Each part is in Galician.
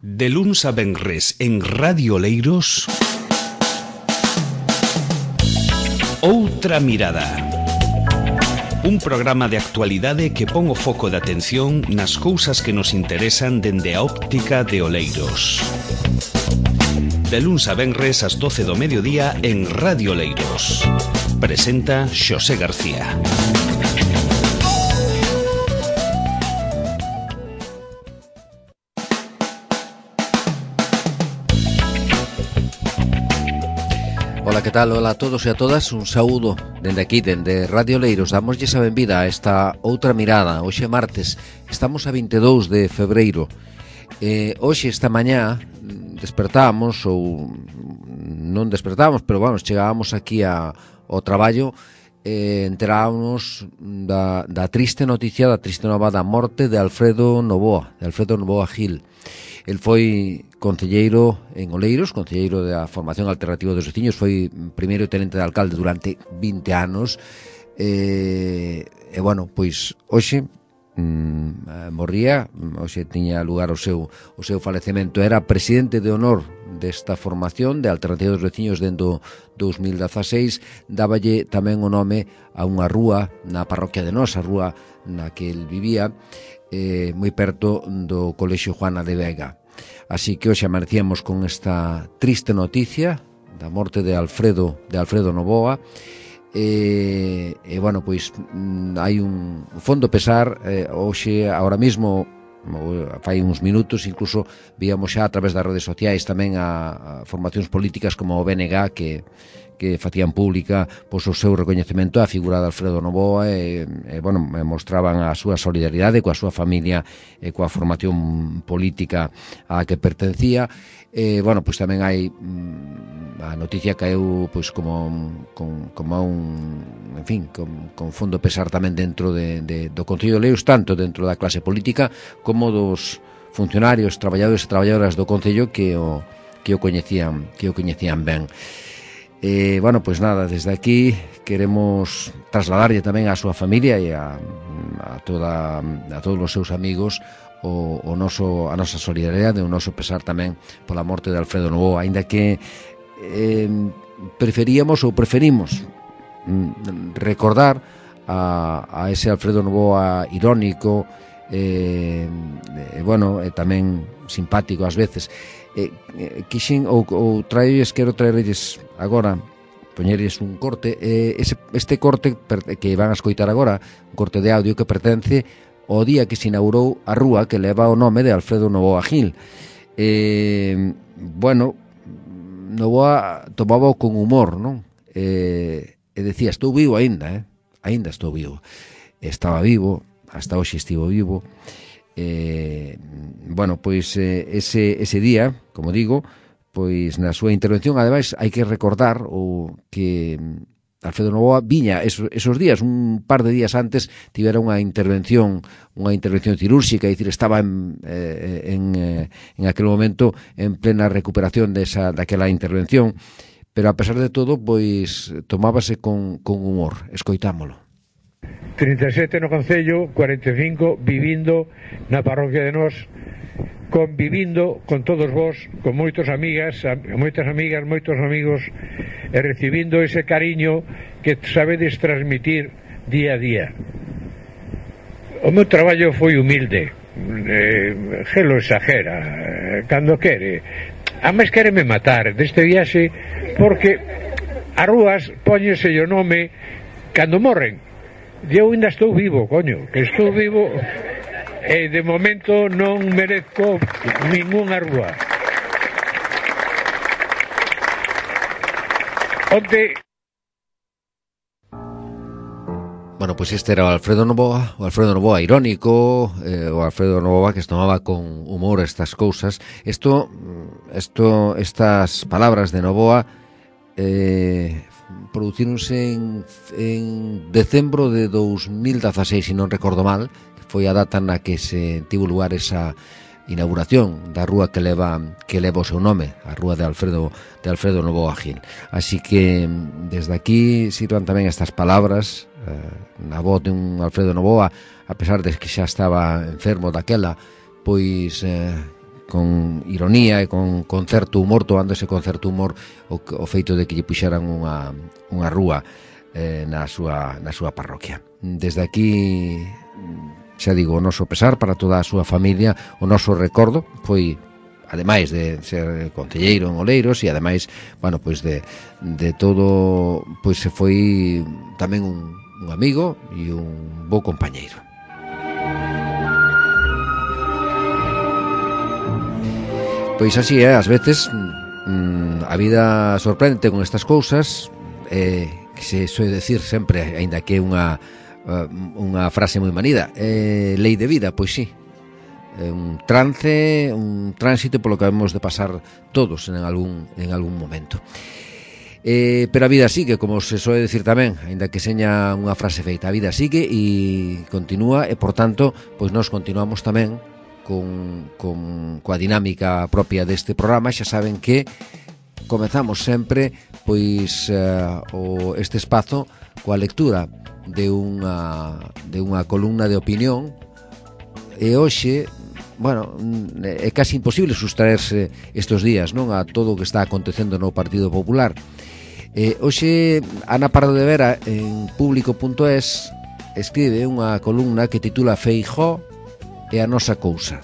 De luns a venres en Radio Oleiros, Outra Mirada. Un programa de actualidade que pon o foco de atención nas cousas que nos interesan dende a óptica de Oleiros. De luns a venres ás 12 do mediodía en Radio Oleiros. Presenta Xosé García. Ola, que tal? Ola a todos e a todas, un saúdo dende aquí, dende Radio Oleiros. Damoslle a benvida a esta Outra Mirada. Hoxe martes, estamos a 22 de febreiro. Hoxe, esta mañá, despertábamos, ou non despertábamos, pero vamos, chegábamos aquí ao traballo, enterábamos da triste noticia, da triste nova da morte de Alfredo Novoa Gil. El foi concelleiro en Oleiros, concelleiro da Formación Alternativa dos Veciños, foi primeiro tenente de alcalde durante 20 anos, e bueno, pois hoxe morría, hoxe tiña lugar o seu falecemento. Era presidente de honor desta formación de Alternativa dos Veciños dentro 2016, dáballe tamén o nome a unha rúa na parroquia de Nos, a rúa na que el vivía, moi perto do Colexio Juana de Vega. Así que hoxe amanecíamos con esta triste noticia da morte de Alfredo Novoa. E bueno, pois hai un fondo pesar. Hoxe, agora mesmo, fai uns minutos, incluso víamos xa a través das redes sociais tamén a formacións políticas como o BNG que facían pública pois o seu recoñecemento á figura de Alfredo Novoa e bueno, mostraban a súa solidaridade coa súa familia e coa formación política á que pertencía. Bueno, pois tamén hai a noticia caeu pois como un, en fin, con fondo pesar tamén dentro do Concello de Oleiros, tanto dentro da clase política como dos funcionarios, traballadores e traballadoras do Concello que o coñecían ben. Bueno, pois nada, desde aquí queremos trasladarlle tamén á súa familia e a todos os seus amigos a nosa solidaridade, o noso pesar tamén pola morte de Alfredo Novoa, aínda que preferimos recordar a ese Alfredo Novoa irónico, bueno, tamén simpático ás veces. Quixen quero traerlles agora, poñerlles un corte, este corte que van a escoitar agora, un corte de audio que pertence ao día que se inaugurou a rúa que leva o nome de Alfredo Novoa Gil. Bueno, Novoa tomaba con humor, non? E decía, estou vivo aínda, aínda estou vivo. Estaba vivo, hasta hoxe estivo vivo. Bueno, pois ese día, como digo, pois na súa intervención, ademais, hai que recordar o que Alfredo Novoa viña esos días, un par de días antes, tivera unha intervención cirúrxica, é dicir, estaba en aquel momento en plena recuperación daquela intervención, pero a pesar de todo, pois tomábase con humor. Escoitámolo. 37 no Concello, 45 vivindo na parroquia de Nos, convivindo con todos vos, con moitas amigas, moitos amigos, e recibindo ese cariño que sabedes transmitir día a día. O meu traballo foi humilde, Gelo exagera, cando quere, a máis quéreme matar deste viaxe, porque as rúas póñese o nome cando morren. Eu ainda estou vivo, coño, que estou vivo e de momento non merezco ningunha rúa. Bueno, pois este era o Alfredo Novoa irónico, o Alfredo Novoa que se tomaba con humor estas cousas. Estas palabras de Novoa producíronse en decembro de 2016, se non recordo mal, que foi a data na que se tivo lugar esa inauguración da rúa que leva o seu nome, a rúa de Alfredo Novoa Gil. Así que desde aquí sirvan tamén estas palabras na voz de un Alfredo Novoa, a pesar de que xa estaba enfermo daquela, pois con ironía e con certo humor, tomándose con certo humor o feito de que lle puxeran unha rúa na súa parroquia. Desde aquí, xa digo, o noso pesar para toda a súa familia, o noso recordo. Foi, ademais de ser concelleiro en Oleiros, e ademais, bueno, pois de todo, pois se foi tamén un amigo e un bo compañeiro. Pois así é, ás veces a vida sorprende con estas cousas, que se soe decir sempre, aínda que é unha frase moi manida, lei de vida, pois sí, un trance, un tránsito polo que hemos de pasar todos en algún momento. Pero a vida sigue, como se soe decir tamén, aínda que seña unha frase feita, a vida sigue e continúa, e por tanto, pois nós continuamos tamén coa dinámica propia deste programa. Xa saben que comezamos sempre pois este espazo coa lectura de unha columna de opinión, e hoxe, bueno, é casi imposible sustraerse estes días, non, a todo o que está acontecendo no Partido Popular. Hoxe Ana Pardo de Vera en Público.es escribe unha columna que titula Feijóo e a nosa cousa.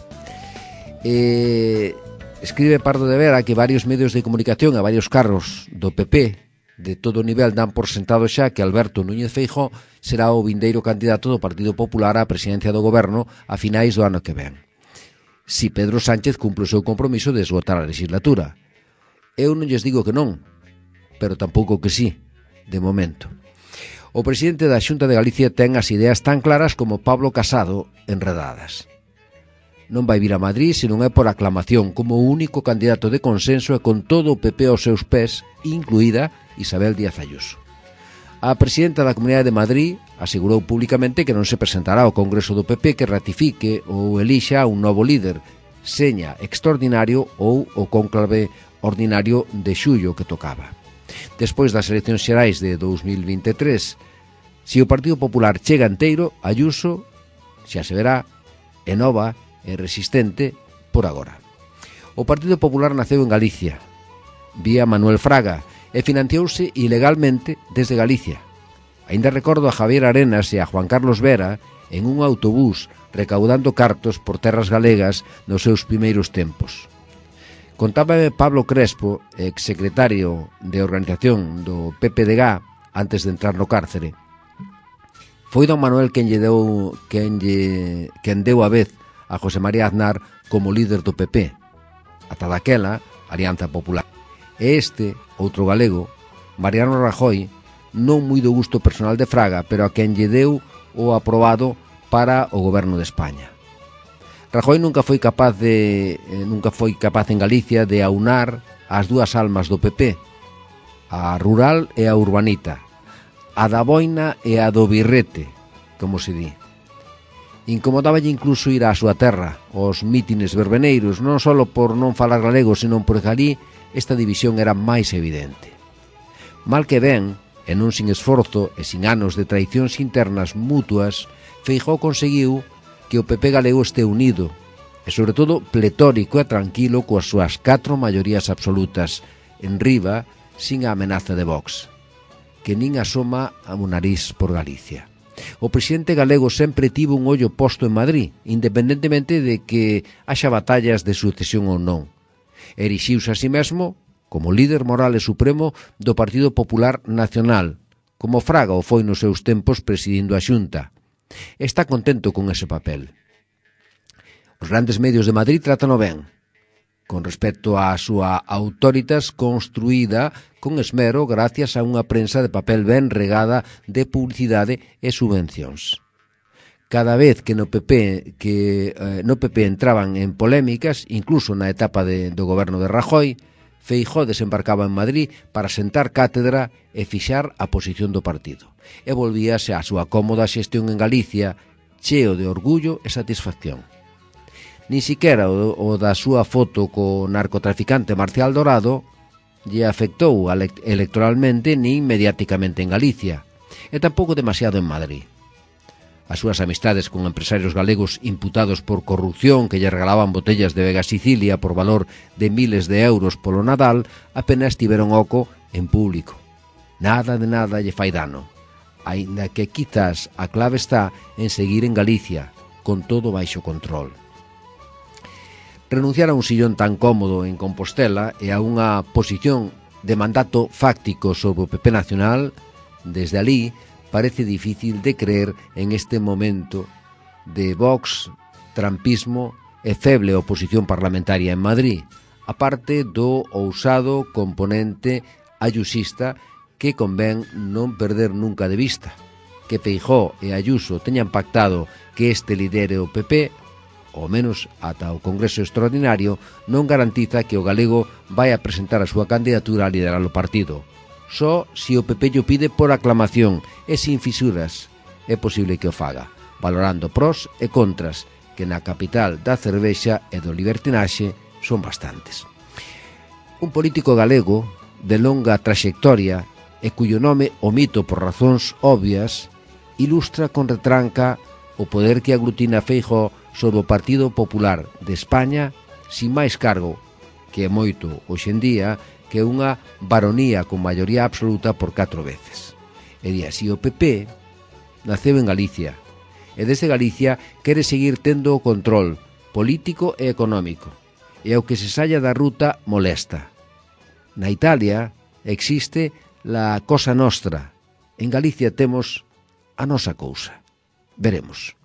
Escribe Pardo de Vera que varios medios de comunicación e varios cargos do PP de todo nivel dan por sentado xa que Alberto Núñez Feijóo será o vindeiro candidato do Partido Popular á presidencia do goberno a finais do ano que ven, si Pedro Sánchez cumpre o seu compromiso de esgotar a legislatura. Eu non lles digo que non, pero tampouco que sí, de momento. O presidente da Xunta de Galicia ten as ideas tan claras como Pablo Casado enredadas. Non vai vir a Madrid se non é por aclamación, como o único candidato de consenso e con todo o PP aos seus pés, incluída Isabel Díaz Ayuso. A presidenta da Comunidade de Madrid asegurou públicamente que non se presentará ao Congreso do PP que ratifique ou elixa un novo líder, seña extraordinario ou o cónclave ordinario de xullo que tocaba. Despois das eleccións xerais de 2023, se o Partido Popular chega enteiro, Ayuso xa se verá e nova e resistente por agora. O Partido Popular naceu en Galicia, vía Manuel Fraga, e financiouse ilegalmente desde Galicia. Aínda recordo a Javier Arenas e a Juan Carlos Vera en un autobús recaudando cartos por terras galegas nos seus primeiros tempos. Contábame Pablo Crespo, exsecretario de organización do PPDG antes de entrar no cárcere. Foi don Manuel quen deu a vez a José María Aznar como líder do PP, ata daquela Alianza Popular. E este, outro galego, Mariano Rajoy, non moi do gusto personal de Fraga, pero a quen lle deu o aprobado para o goberno de España. Rajoy nunca foi capaz en Galicia de aunar as dúas almas do PP, a rural e a urbanita, a da boina e a do birrete, como se di. Incomodáballe incluso ir á súa terra, aos mítines verbeneiros, non só por non falar galego, senón porque ali esta división era máis evidente. Mal que ben, e non sin esforzo e sin anos de traicións internas mutuas, Feijóo conseguiu que o PP galego este unido e, sobre todo, pletórico e tranquilo coas súas 4 maiorías absolutas, en riba, sin a amenaza de Vox, que nin asoma a un nariz por Galicia. O presidente galego sempre tivo un ollo posto en Madrid, independentemente de que haxa batallas de sucesión ou non. Erixiuse a si mesmo como líder moral e supremo do Partido Popular Nacional, como Fraga o foi nos seus tempos presidindo a Xunta. Está contento con ese papel. Os grandes medios de Madrid trátano ben, con respecto á súa autoritas construída con esmero gracias a unha prensa de papel ben regada de publicidade e subvencións. Cada vez que no PP entraban en polémicas, incluso na etapa do goberno de Rajoy, Feijóo desembarcaba en Madrid para sentar cátedra e fixar a posición do partido. E volvíase á súa cómoda xestión en Galicia, cheo de orgullo e satisfacción. Ni siquiera o da súa foto co narcotraficante Marcial Dorado lle afectou electoralmente nin mediáticamente en Galicia, e tampouco demasiado en Madrid. as súas amistades con empresarios galegos imputados por corrupción que lle regalaban botellas de Vega Sicilia por valor de miles de euros polo Nadal, apenas tiveron oco en público. Nada de nada lle fai dano, aínda que quizás a clave está en seguir en Galicia, con todo baixo control. Renunciar a un sillón tan cómodo en Compostela e a unha posición de mandato fáctico sobre o PP nacional, desde alí, parece difícil de creer en este momento de Vox, trampismo e feble oposición parlamentaria en Madrid, aparte do ousado componente ayusista que convén non perder nunca de vista. Que Feijóo e Ayuso teñan pactado que este lidere o PP, ao menos ata o Congreso Extraordinario, non garantiza que o galego vai a presentar a súa candidatura a liderar o partido. Só se o PP llo pide por aclamación e sin fisuras é posible que o faga, valorando pros e contras que na capital da cervexa e do libertinaxe son bastantes. Un político galego de longa traxectoria e cuyo nome omito por razóns obvias ilustra con retranca o poder que aglutina Feijóo sobre o Partido Popular de España sin máis cargo, que é moito hoxe en día, que unha baronía con maioría absoluta por 4 veces. E di así, o PP naceu en Galicia, e desde Galicia quere seguir tendo o control político e económico, e ao que se saia da ruta molesta. Na Italia existe la Cosa Nostra, en Galicia temos a nosa cousa. Veremos.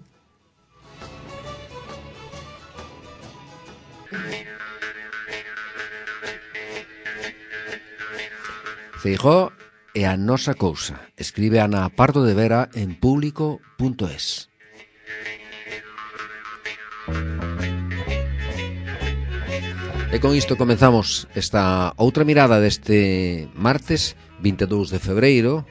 Feijóo é a nosa cousa, escribe Ana Pardo de Vera en público.es. E con isto comenzamos esta outra mirada deste martes 22 de febreiro.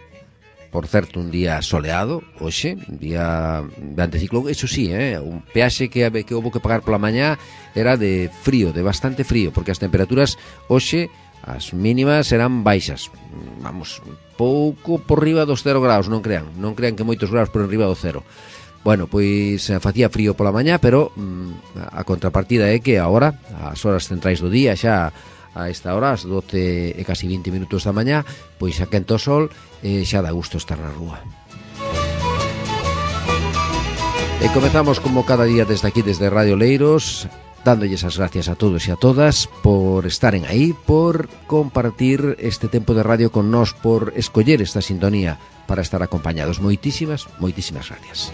Por certo, un día soleado, hoxe, un día de anticiclón. Eso sí, un peaxe que houve que pagar pola mañá era de frío, de bastante frío, porque as temperaturas hoxe, as mínimas serán baixas, vamos, pouco por riba dos 0 graus, non crean que moitos graus por riba do cero. Bueno, pois facía frío pola mañá, pero a contrapartida é que agora, as horas centrais do día, xa a esta hora, as 12 e casi 20 minutos da mañá, pois xa quenta o sol e xa dá gusto estar na rúa. E comezamos como cada día desde aquí, desde Radio Leiros, dándolles as gracias a todos e a todas por estaren aí, por compartir este tempo de radio con nós, por escoller esta sintonía para estar acompañados. Moitísimas gracias.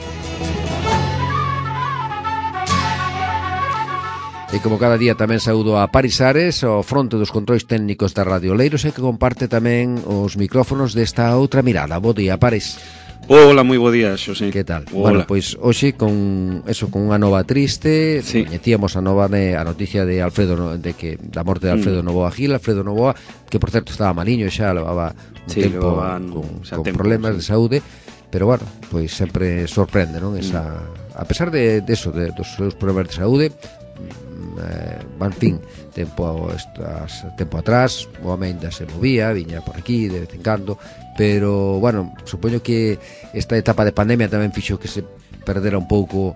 E como cada día tamén saúdo a Paris Ares, ao fronte dos controis técnicos da Radio Leiros, e que comparte tamén os micrófonos desta outra mirada. Bo día, Paris. Hola, moi bo día, Xosé. Que tal? Hola. Bueno, pois hoxe con unha nova triste, sí. Coñecíamos a noticia de Alfredo, da morte de Alfredo Novoa Gil, Alfredo Novoa, que por certo estaba maliño, xa levaba un tempo con problemas de saúde, pero bueno, pois sempre sorprende, non? A pesar de eso, dos seus problemas de saúde, en fin, tempo atrás o home ainda se movía, viña por aquí de vez en cando, pero bueno, supoño que esta etapa de pandemia tamén fixo que se perdera un pouco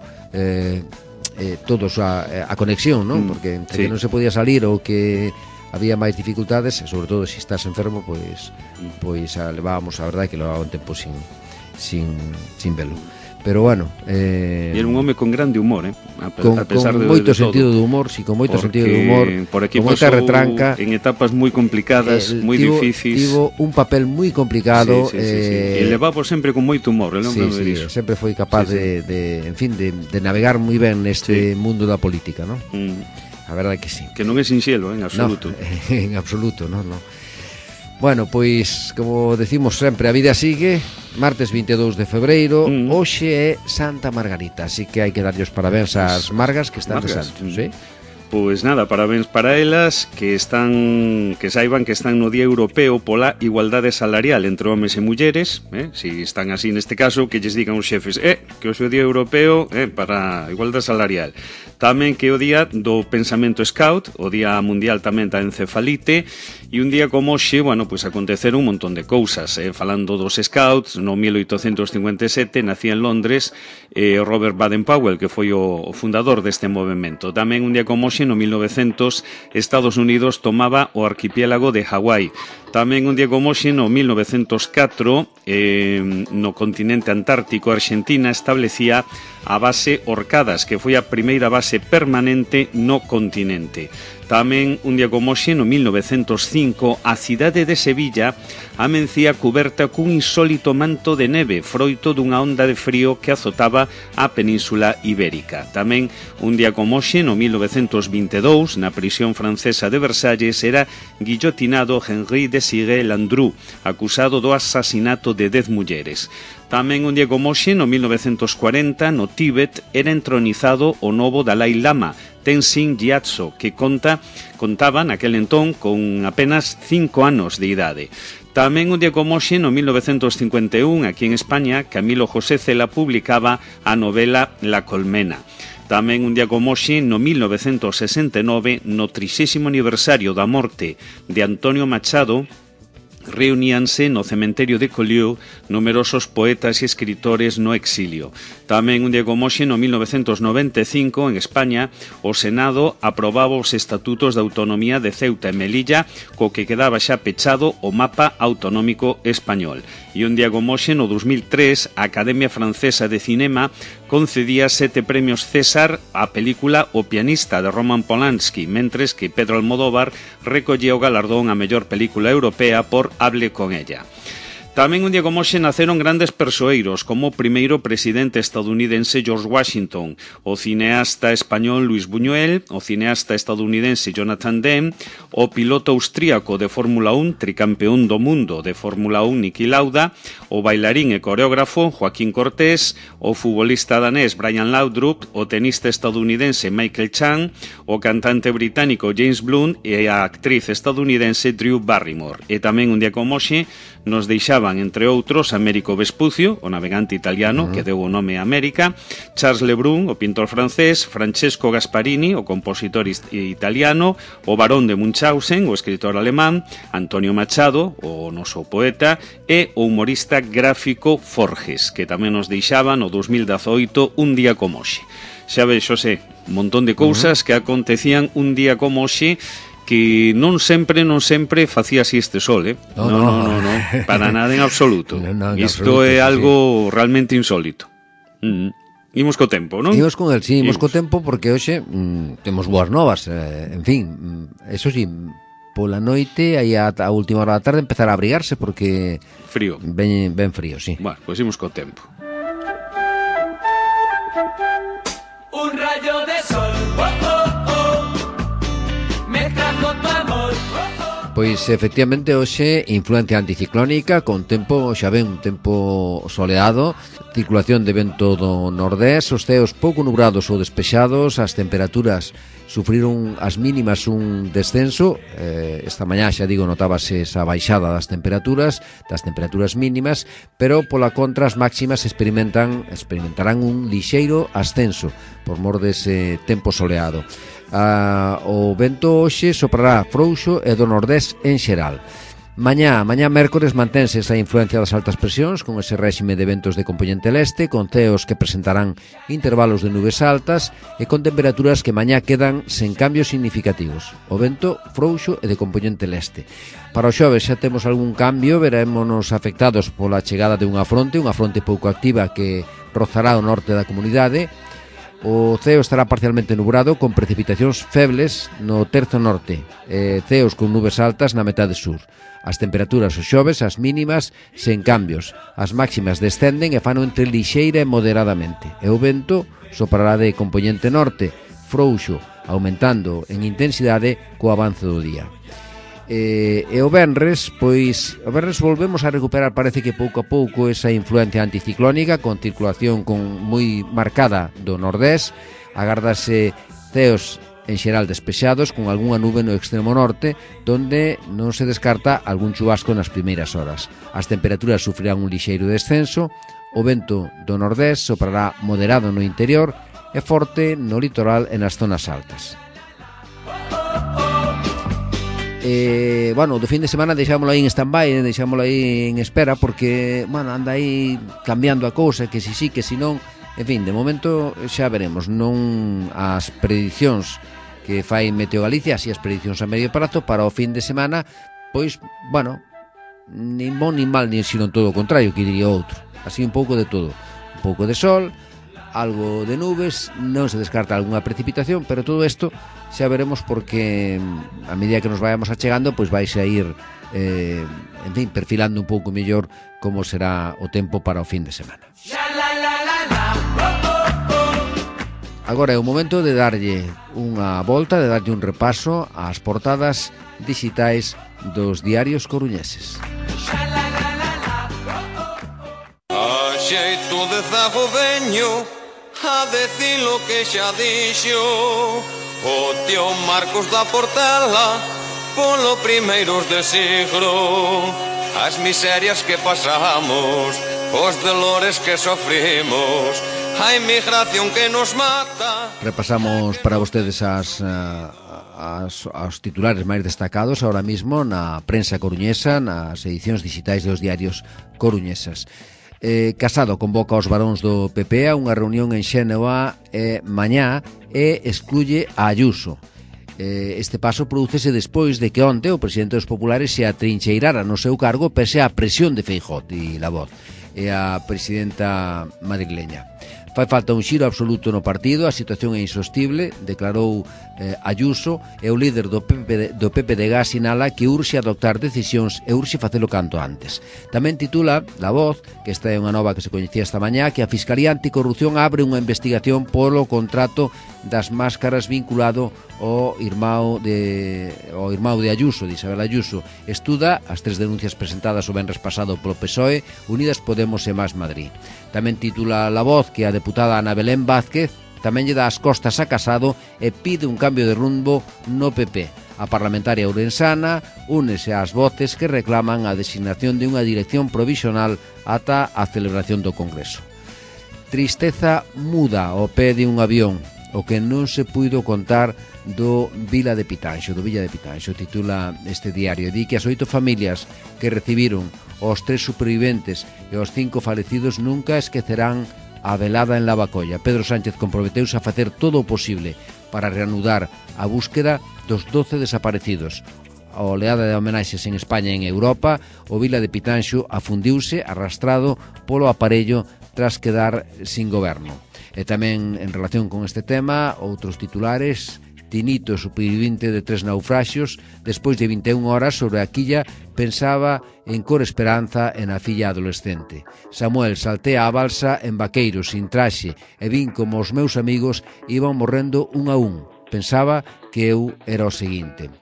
todos a conexión, non? Porque entre que non se podía salir ou que había máis dificultades, e sobre todo se estás enfermo, pois levábamos, a verdade que levaba un tempo sin velo. Pero bueno, e era un home con grande humor, a pesar con moito sentido de humor, con moito sentido de humor, por aquí con moita retranca, en etapas moi complicadas, moi difíciles. Tivo un papel moi complicado, e levaba sempre con moito humor, sempre foi capaz de navegar moi ben neste mundo da política, ¿no? A verdade que sí. Que non é sinxelo, en absoluto. No, en absoluto, no. Bueno, pois, como decimos sempre, a vida sigue. Martes 22 de febreiro, hoxe é Santa Margarita, así que hai que darlle os parabéns ás Margas que están de santos, Pois nada, parabéns para elas, que saiban que están no Día Europeo pola igualdade salarial entre homes e mulleres, si están así neste caso, que lles digan os xefes, que o seu Día Europeo para a igualdade salarial. Tamén que o Día do Pensamento Scout, o Día Mundial tamén da Encefalite, e un día como hoxe, bueno, pois aconteceron un montón de cousas, falando dos Scouts, no 1857 nacía en Londres Robert Baden-Powell, que foi o fundador deste movimento. Tamén un día como hoxe, no 1900, Estados Unidos tomaba o arquipiélago de Hawái. Tamén un día como hoxe, no 1904, no continente antártico, Argentina establecía a base Orcadas, que foi a primeira base permanente no continente. Tamén un día como hoxe, no 1905, a cidade de Sevilla amencía cuberta cun insólito manto de neve, froito dunha onda de frío que azotaba a península ibérica. Tamén un día como hoxe, no 1922, na prisión francesa de Versalles, era guillotinado Henri Desiré Landru, acusado do asasinato de 10 mulleres. Tamén un día como hoxe, no 1940, no Tíbet, era entronizado o novo Dalai Lama, Tenzin Gyatso, que contaba naquel entón con apenas 5 anos de idade. Tamén un día como hoxe, no 1951, aquí en España, Camilo José Cela publicaba a novela La Colmena. Tamén un día como hoxe, no 1969, no 30º aniversario da morte de Antonio Machado, reuníanse no cementerio de Collioure numerosos poetas e escritores no exilio. Tamén un día como hoxe, no 1995, en España, o Senado aprobaba os estatutos de autonomía de Ceuta e Melilla, co que quedaba xa pechado o mapa autonómico español. E un día como hoxe, no 2003, a Academia Francesa de Cinema concedía 7 premios César á película O pianista de Roman Polanski, mentres que Pedro Almodóvar recollía o galardón a mellor película europea por Hable con ella. Tamén un día como hoxe naceron grandes persoeiros, como o primeiro presidente estadounidense George Washington, o cineasta español Luis Buñuel, o cineasta estadounidense Jonathan Demme, o piloto austríaco de Fórmula 1, tricampeón do mundo de Fórmula 1 Niki Lauda, o bailarín e coreógrafo Joaquín Cortés, o futbolista danés Brian Laudrup, o tenista estadounidense Michael Chang, o cantante británico James Blunt e a actriz estadounidense Drew Barrymore. E tamén un día como hoxe nos deixaban, entre outros, Américo Vespucio, o navegante italiano que deu o nome a América, Charles Lebrun, o pintor francés, Francesco Gasparini, o compositor italiano, o barón de Munchausen, o escritor alemán, Antonio Machado, o noso poeta, e o humorista gráfico Forges, que tamén nos deixaba no 2018 un día como hoxe. Xa vexo, un montón de cousas que acontecían un día como hoxe, que non sempre facía así este sol, No, para nada en absoluto. Isto é algo realmente insólito. Imos co tempo, non? Imos con el, sí, imos co tempo, porque hoxe temos boas novas, en fin, eso sí, pola noite, aí a última hora da tarde empezar a abrigarse, porque frío. Ben frío, sí. Bueno, pois imos co tempo. Un rayo de sol, oh, oh, oh, me trajo tu amor, oh, oh. Pois efectivamente hoxe influencia anticiclónica, con tempo, xa ven, un tempo soleado, circulación de vento do nordés, os ceos pouco nubrados ou despexados, as temperaturas sufriron as mínimas un descenso, esta mañá xa digo notábase esa baixada das temperaturas mínimas, pero pola contra as máximas experimentarán un lixeiro ascenso por mor dese tempo soleado. O vento hoxe soprará frouxo e do nordés en xeral. Mañá mércores mantense esa influencia das altas presións con ese réxime de ventos de compoñente leste, con ceos que presentarán intervalos de nubes altas e con temperaturas que mañá quedan sen cambios significativos. O vento frouxo e de compoñente leste. Para o xoves xa temos algún cambio, verémonos afectados pola chegada de unha fronte pouco activa que rozará o norte da comunidade. O ceo estará parcialmente nubrado con precipitacións febles no terzo norte, ceos con nubes altas na metade sur. As temperaturas o xoves, as mínimas, sen cambios. As máximas descenden e fano entre lixeira e moderadamente. E o vento soprará de compoñente norte, frouxo, aumentando en intensidade co avance do día. E o venres, volvemos a recuperar, parece que pouco a pouco, esa influencia anticiclónica con circulación moi marcada do nordés. Agárdase ceos en xeral despexados, con algunha nube no extremo norte, donde non se descarta algún chubasco nas primeiras horas. As temperaturas sufrirán un lixeiro descenso, o vento do nordés soprará moderado no interior e forte no litoral e nas zonas altas. Bueno, do fin de semana deixámoslo aí en stand-by, deixámoslo aí en espera, porque, bueno, anda aí cambiando a cousa, que si sí, que si non. En fin, de momento xa veremos, non as predicións que fai Meteo Galicia, así as predicións a medio prazo para o fin de semana, pois, bueno, nin bon nin mal, nin sino todo o contrario, que diría outro. Así un pouco de todo, un pouco de sol, algo de nubes, non se descarta algunha precipitación, pero todo isto xa veremos, porque a medida que nos vayamos achegando, pois vais a ir, en fin, perfilando un pouco mellor como será o tempo para o fin de semana. Agora é o momento de darlle unha volta, de darlle un repaso ás portadas digitais dos diarios coruñeses. A xeito de zago veño a decir lo que xa dixo o tío Marcos da Portela polo primeiros de siglo. As miserias que pasamos, os dolores que sofrimos, a inmigración que nos mata. Repasamos para vostedes os titulares máis destacados ahora mismo na prensa coruñesa, nas edicións digitais dos diarios coruñesas. Casado convoca aos varóns do PP a unha reunión en Xénova mañá e excluye a Ayuso. Este paso prodúcese despois de que onte o presidente dos populares se atrincheirara no seu cargo pese á presión de Feijóo, di La Voz, e a presidenta madrileña. Fai falta un xiro absoluto no partido, a situación é insostible, declarou Ayuso, e o líder do PPDG sinala que urxe adoptar decisións e urxe facelo canto antes. Tamén titula La Voz, que esta é unha nova que se coñecía esta mañá, que a Fiscalía Anticorrupción abre unha investigación polo contrato das máscaras vinculado ao irmão de Ayuso, de Isabel Ayuso. Estuda as 3 denuncias presentadas o venres pasado polo PSOE, Unidas Podemos e Más Madrid. Tamén titula La Voz que a deputada Ana Belén Vázquez tamén lle dá as costas a Casado e pide un cambio de rumbo no PP. A parlamentaria ourensana únese ás voces que reclaman a designación de unha dirección provisional ata a celebración do Congreso. Tristeza muda ao pé de un avión, o que non se puido contar do Villa de Pitanxo, titula este diario. Di que as 8 familias que recibiron os 3 superviventes e os 5 falecidos nunca esquecerán a velada en Lavacolla. Pedro Sánchez comprometeuse a facer todo o posible para reanudar a búsqueda dos 12 desaparecidos. A oleada de homenaxes en España e en Europa, o Villa de Pitanxo afundiuse arrastrado polo aparello tras quedar sin goberno. E tamén en relación con este tema, outros titulares. Tinito, supervivente de 3 naufraxios, despois de 21 horas sobre a quilla, pensaba en Cor Esperanza e na filla adolescente. Samuel saltea a balsa en vaqueiro, sin traxe, e vin como os meus amigos iban morrendo un a un. Pensaba que eu era o seguinte.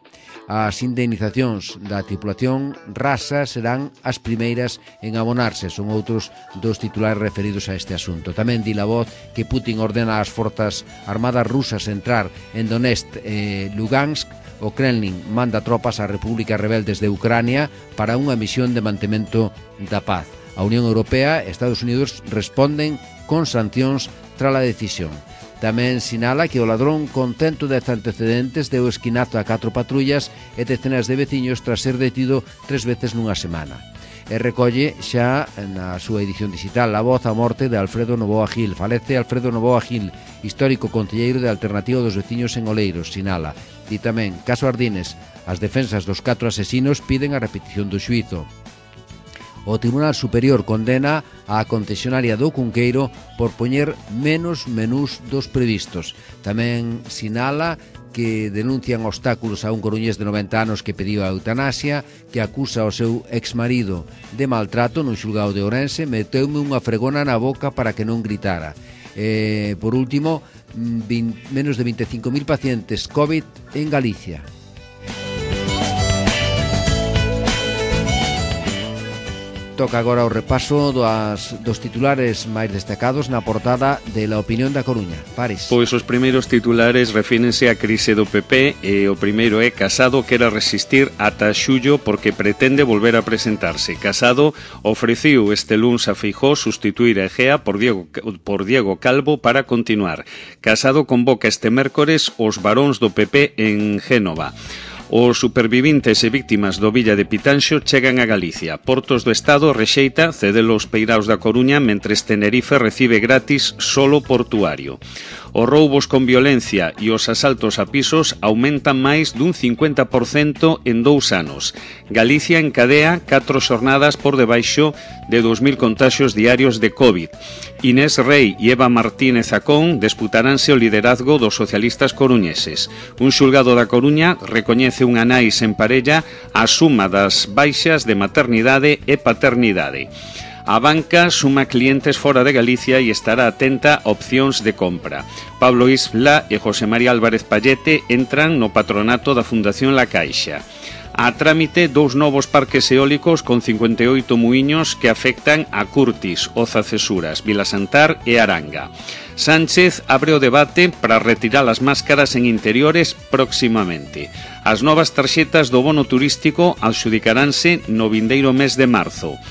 As indemnizacións da tripulación rasa serán as primeiras en abonarse, son outros dos titulares referidos a este asunto. Tamén di La Voz que Putin ordena ás forzas armadas rusas entrar en Donetsk e Lugansk. O Kremlin manda tropas ás repúblicas rebeldes de Ucrania para unha misión de mantemento da paz. A Unión Europea e Estados Unidos responden con sancións tras a decisión. Tamén sinala que o ladrón con 110 antecedentes deu esquinazo a 4 patrullas e decenas de veciños tras ser detido 3 veces nunha semana. E recolle xa na súa edición digital La Voz a morte de Alfredo Novoa Gil. Falece Alfredo Novoa Gil, histórico concelleiro de Alternativa dos Veciños en Oleiros, sinala. E tamén, caso Ardines, as defensas dos 4 asesinos piden a repetición do xuízo. O Tribunal Superior condena a concesionaria do Cunqueiro por poñer menos menús dos previstos. Tamén sinala que denuncian obstáculos a un coruñés de 90 anos que pediu a eutanasia, que acusa ao seu exmarido de maltrato nun xulgado de Ourense, meteume unha fregona na boca para que non gritara. Por último, menos de 25.000 pacientes COVID en Galicia. toca agora o repaso dos titulares máis destacados na portada de La Opinión da Coruña. Pares. Pois os primeiros titulares refírense á crise do PP e o primeiro é Casado quere resistir ata xullo porque pretende volver a presentarse. Casado ofreciu este luns a Feijóo sustituir a Egea por Diego Calvo para continuar. Casado convoca este mércores os varóns do PP en Génova. Os supervivintes e víctimas do Villa de Pitanxo chegan a Galicia. Portos do Estado rexeita cedelo aos peiraos da Coruña mentres Tenerife recibe gratis solo portuario. Os roubos con violencia e os asaltos a pisos aumentan máis dun 50% en 2 anos. Galicia encadea 4 xornadas por debaixo de 2.000 contaxios diarios de COVID. Inés Rei e Eva Martínez Acón disputaránse o liderazgo dos socialistas coruñeses. Un xulgado da Coruña recoñece unha nai sen parella a suma das baixas de maternidade e paternidade. A banca suma clientes fora de Galicia e estará atenta a opcións de compra. Pablo Isla e José María Álvarez Pallete entran no patronato da Fundación La Caixa. A trámite 2 novos parques eólicos con 58 muiños que afectan a Curtis, Oza Cesuras, Vilasantar e Aranga. Sánchez abre o debate para retirar as máscaras en interiores próximamente. As novas tarxetas do bono turístico adxudicaránse no vindeiro mes de marzo.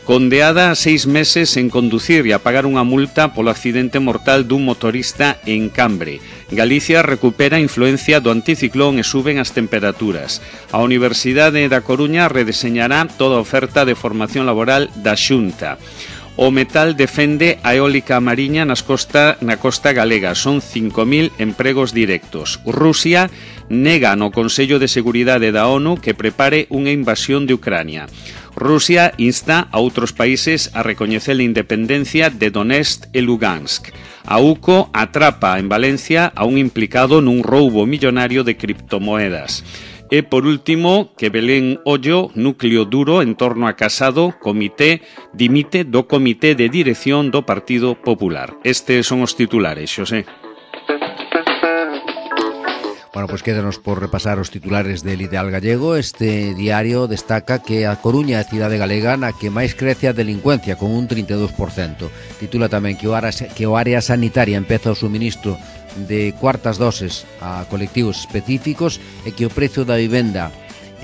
Condeada a 6 meses en conducir e a pagar unha multa polo accidente mortal dun motorista en Cambre. Galicia recupera a influencia do anticiclón e suben as temperaturas. A Universidade da Coruña redeseñará toda a oferta de formación laboral da Xunta. O metal defende a eólica mariña na costa galega. Son 5.000 empregos directos. Rusia nega no Consello de Seguridade da ONU que prepare unha invasión de Ucrania. Rusia insta a outros países a recoñecer a independencia de Donetsk e Lugansk. A UCO atrapa en Valencia a un implicado nun roubo millonario de criptomoedas. E, por último, que Belén Ollo, núcleo duro en torno a Casado, dimite do Comité de Dirección do Partido Popular. Estes son os titulares, Xosé. Bueno, pues quédanos por repasar os titulares del Ideal Gallego. Este diario destaca que a Coruña é a cidade galega na que máis crece a delincuencia, con un 32%. Titula tamén que o área sanitaria empeza o suministro de cuartas doses a colectivos específicos e que o prezo da vivenda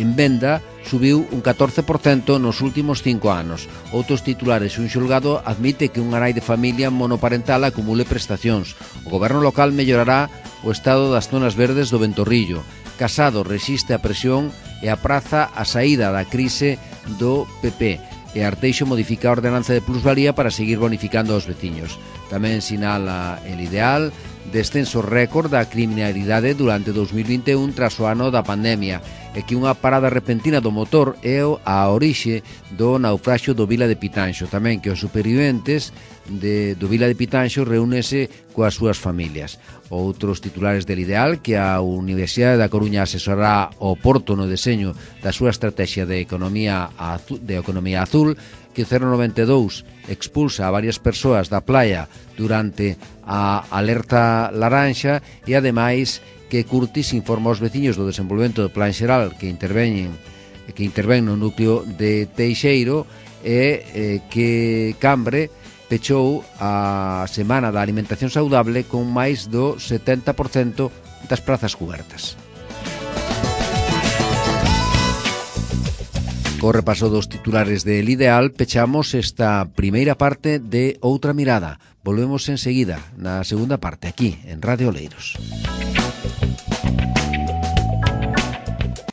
en venda subiu un 14% nos últimos 5 anos. Outros titulares, un xulgado admite que unha nai de familia monoparental acumule prestacións. O goberno local mellorará o estado das zonas verdes do Ventorrillo. Casado resiste a presión e apraza a saída da crise do PP. E Arteixo modifica a ordenanza de plusvalía para seguir bonificando aos veciños. Tamén sinala el Ideal descenso récord da criminalidade durante 2021 tras o ano da pandemia e que unha parada repentina do motor é a orixe do naufraxio do Vila de Pitanxo. Tamén que os superviventes do Vila de Pitanxo reúnese coas súas familias. Outros titulares del Ideal que a Universidade da Coruña asesorará o Porto no deseño da súa estrategia de economía azul, que o 092 expulsa a varias persoas da playa durante a alerta laranxa e ademais que Curtis informa aos veciños do desenvolvemento do plan xeral que intervén no núcleo de Teixeiro e que Cambre pechou a Semana da Alimentación Saudable con máis do 70% das prazas cubertas. Co repaso dos titulares del Ideal, pechamos esta primeira parte de Outra Mirada. Volvemos enseguida na segunda parte, aquí, en Radio Oleiros.